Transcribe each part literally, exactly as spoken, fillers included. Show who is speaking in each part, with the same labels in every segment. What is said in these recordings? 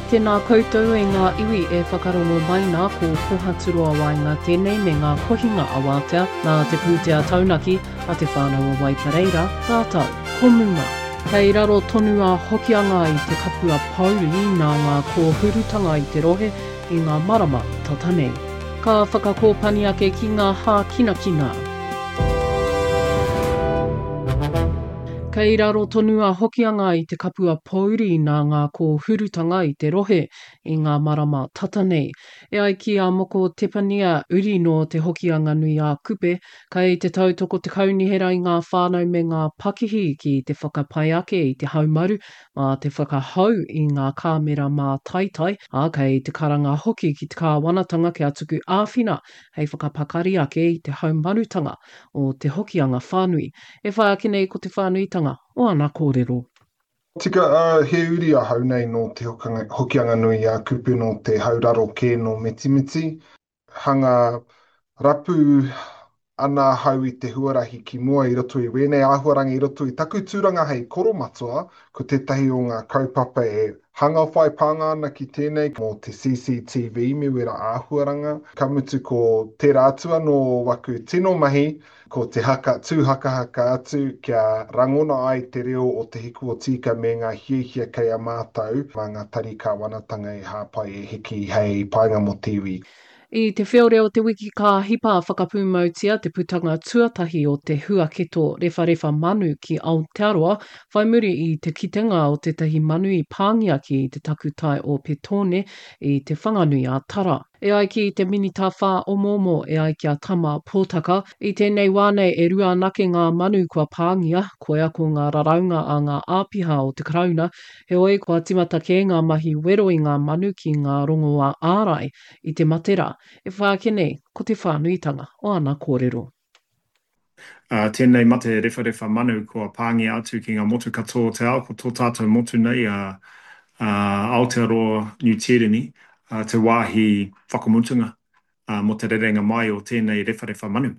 Speaker 1: Tēnā koutou e ngā iwi e whakarongo mai nā, ko Kohaturoa Waenga tēnei me ngā kohinga awātea nā te pūtea taunaki a Te Whānau o Waipareira rātou ko Muma. Kei raro tonu a Hokianga i te kapua pouri nā ngā kōhurutanga i te rohe i ngā marama tata nei. Ka whakakōpani ake ki ngā hākinakina. Kei raro tonu a Hokianga i te kapua pouri nā ngā kōhurutanga i te rohe i ngā marama tata nei. E ai ki a Moko Tepania, uri nō Te Hokianga nui a Kupe, kei te tautoko te kaunihera i ngā whānau me ngā pakihi ki te whakapai ake i te haumaru mā te whakahou i ngā kāmera mātaitai, ā, kei te karanga hoki ki te kāwanatanga kia tuku āwhina hei whakapakari ake i te haumarutanga o Te Hokianga whānui. E whai ake nei ko te whānuitanga o ana kōrero.
Speaker 2: Tika, ā, he uri ahau nei nō Te Hokianga-nui-a-Kupe, nō te hauraro kē nō Mitimiti. Hanga rapu ana ahau i te huarahi ki mua i roto i wēnei āhuarangi, i roto i taku tūranga hei koromatua, ko tētahi o ngā kaupapa e hanga whai pānga ana ki tēnei mō te C C T V me wera āhuaranga. Ka mutu ko tērā atu anō o waku tino mahi, ko te haka, tū hakahaka atu kia rangona ai te reo o Te Hiku o Tīka me ngā hiahia kei a mātou mā ngā tari kāwanatanga e hāpai e hiki hei painga mō te iwi.
Speaker 1: I te whiore o te wiki ka hipa whakapūmautia te putanga tuatahi o te huaketo rewharewha manu ki Aotearoa, whai muri i te kitenga o tētahi manu i pāngia ki te takutai o Petone i Te Whanganui-a-Tara. E ai ki te Minita Whāomoomo, e ai ki a Tama Pōtaka, i tēnei wā nei e rua anake ngā manu kua pāngia, koia ko ngā raraunga a ngā āpiha o te Karauna, heoi kua timata kē ngā mahi wero i ngā manu ki ngā rongoā ārai i te mate rā, e whai ake nei ko te whānuitanga o ana kōrero.
Speaker 3: Uh, tēnei mate rewharewha manu kua pāngia atu ki ngā motu katoa o te ao, ko tō tātou motu nei a, a Aotearoa Niu Tīreni, uh, te wāhi whakamutunga uh, mō te rerenga mai o tēnei rewharewha manu.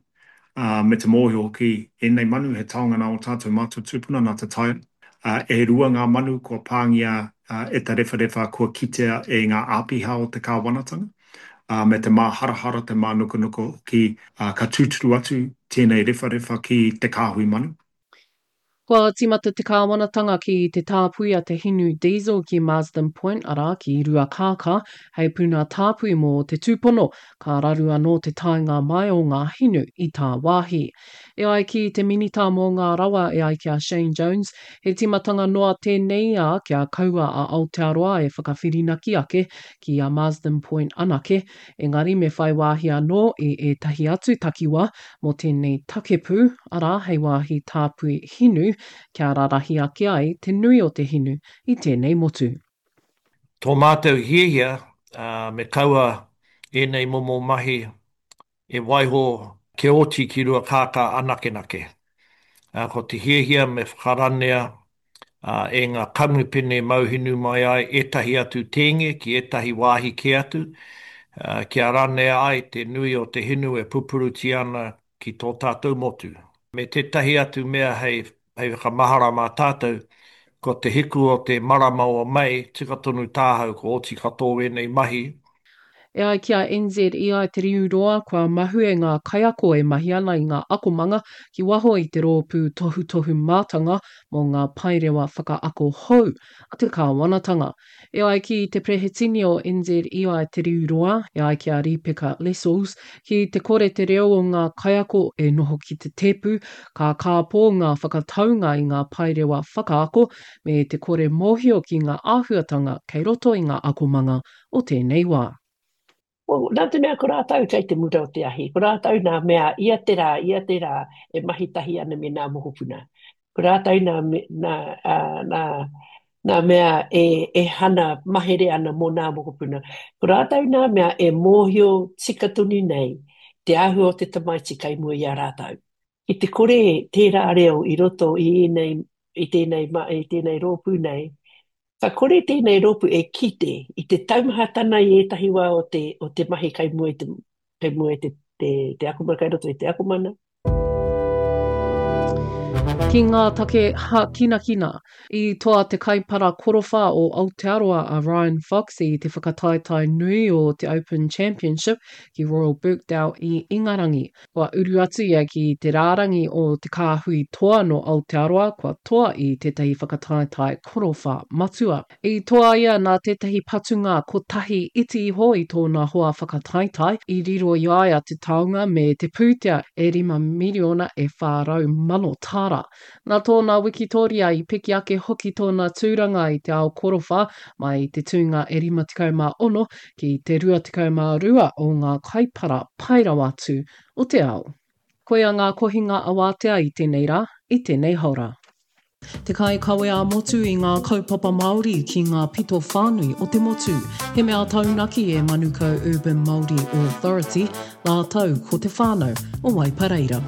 Speaker 3: Uh, me te mōhio hoki ēnei manu he taonga nā o tātou mātua tūpuna nā te tai. Uh, e rua ngā manu kua pāngia uh, e te rewharewha kua kitea e ngā āpiha o te kāwanatanga. Uh, me te māharahara, te mānukanuka hoki, uh, ka tūturu atu tēnei rewharewha ki te kāhui manu.
Speaker 1: Kua tīmata te kāwanatanga ki te tāpui a te hinu diesel ki Marsden Point, arā ki Ruakākā, hei puna tāpui mō te tūpono, ka raru anō te taenga mai o ngā hinu i tāwāhi. E ai ki te minita mō ngā rawa e ai ki a Shane Jones, he tīmatanga noa tēnei ā kia kaua a Aotearoa e whakawhirinaki ake ki a Marsden Point anake, engari me whai wāhi anō i ētahi atu takiwā mō tēnei takepū, arā hei wāhi tāpui hinu, kia rarahi ake ai te nui o te hinu i tēnei motu.
Speaker 4: Tō mātou hiahia, uh, me kaua ēnei momo mahi e waiho ke oti ki Ruakākā anakenake. Uh, ko te hiahia me whakaranea uh, e ngā kamupene mauhinu mai ai ētahi atu tēnge ki ētahi wāhi kē atu, uh, kia ranea ai te nui o te hinu e pupuruti ana ki tō tātou motu. Me tētahi atu mea hei, hei whakamahara mā tātou, ko te hiku o te marama o Mei, tika tonu tāhau ko oti katoa ēnei mahi.
Speaker 1: E ai ki a N Z E I Te Riu Roa, kua mahue ngā kaiako e mahi ana i ngā akomanga ki waho i te rōpū tohutohu mātanga mō ngā paerewa whakaako hou a te kāwanatanga. E ai ki te prehetini o N Z E I Te Riu Roa, e ai ki a Ripeka Lessels, ki te kore te reo o ngā kaiako e noho ki te tēpu, ka kāpō ngā whakataunga i ngā paerewa whakaako me te kore mōhio ki ngā āhuatanga kei roto i ngā akomanga o tēnei wā.
Speaker 5: Well, nā te mea ko rātou kei te mura o te ahi, ko rātou nā mea ia te rā, ia te rā e mahi tahi ana me nā mokopuna. Ko rātou nā, nā, nā, nā mea e, e hana mahere ana mō nā mokopuna. Ko rātou nā mea e mōhio tika tonu nei te āhua o te tamaiti kei mua i a rātou. I te kore tērā reo i roto i ēnei, i tēnei, i tēnei rōpū nei, ka kore tēnei rōpū e kite i te taumahatana i ētahi wā o te, o te mahi kei mua i te, kei mua i te, te, te akomana, kei roto i te akomana.
Speaker 1: Ki ngā take hākinakina, i toa te kaipara korowha o Aotearoa a Ryan Fox i te whakataetae nui o te Open Championship ki Royal Birkdale i Ingarangi. Kua uru atu ia ki te rārangi o te kāhui toa nō Aotearoa kua toa i tētahi whakataetae korowha matua. I toa ia nā tētahi patunga kotahi iti iho i tōna hoa whakataetae, i riro i a ia te taonga me te pūtea e rima miriona e whā rau mano tāra. Nā tōna wikitōria i piki ake hoki tōna tūranga i te ao korowha mai i te tūnga e rima tekau mā ono ki te rua tekau mā rua o ngā kaipara pai rawa atu o te ao. Koia ngā kohinga awātea i tēnei rā, i tēnei haora. Te kaikawe ā-motu i ngā kaupapa Māori ki ngā pito whānui o te motu. He mea taunaki e Manukau Urban Māori Authority rātou ko te whānau o Waipareira.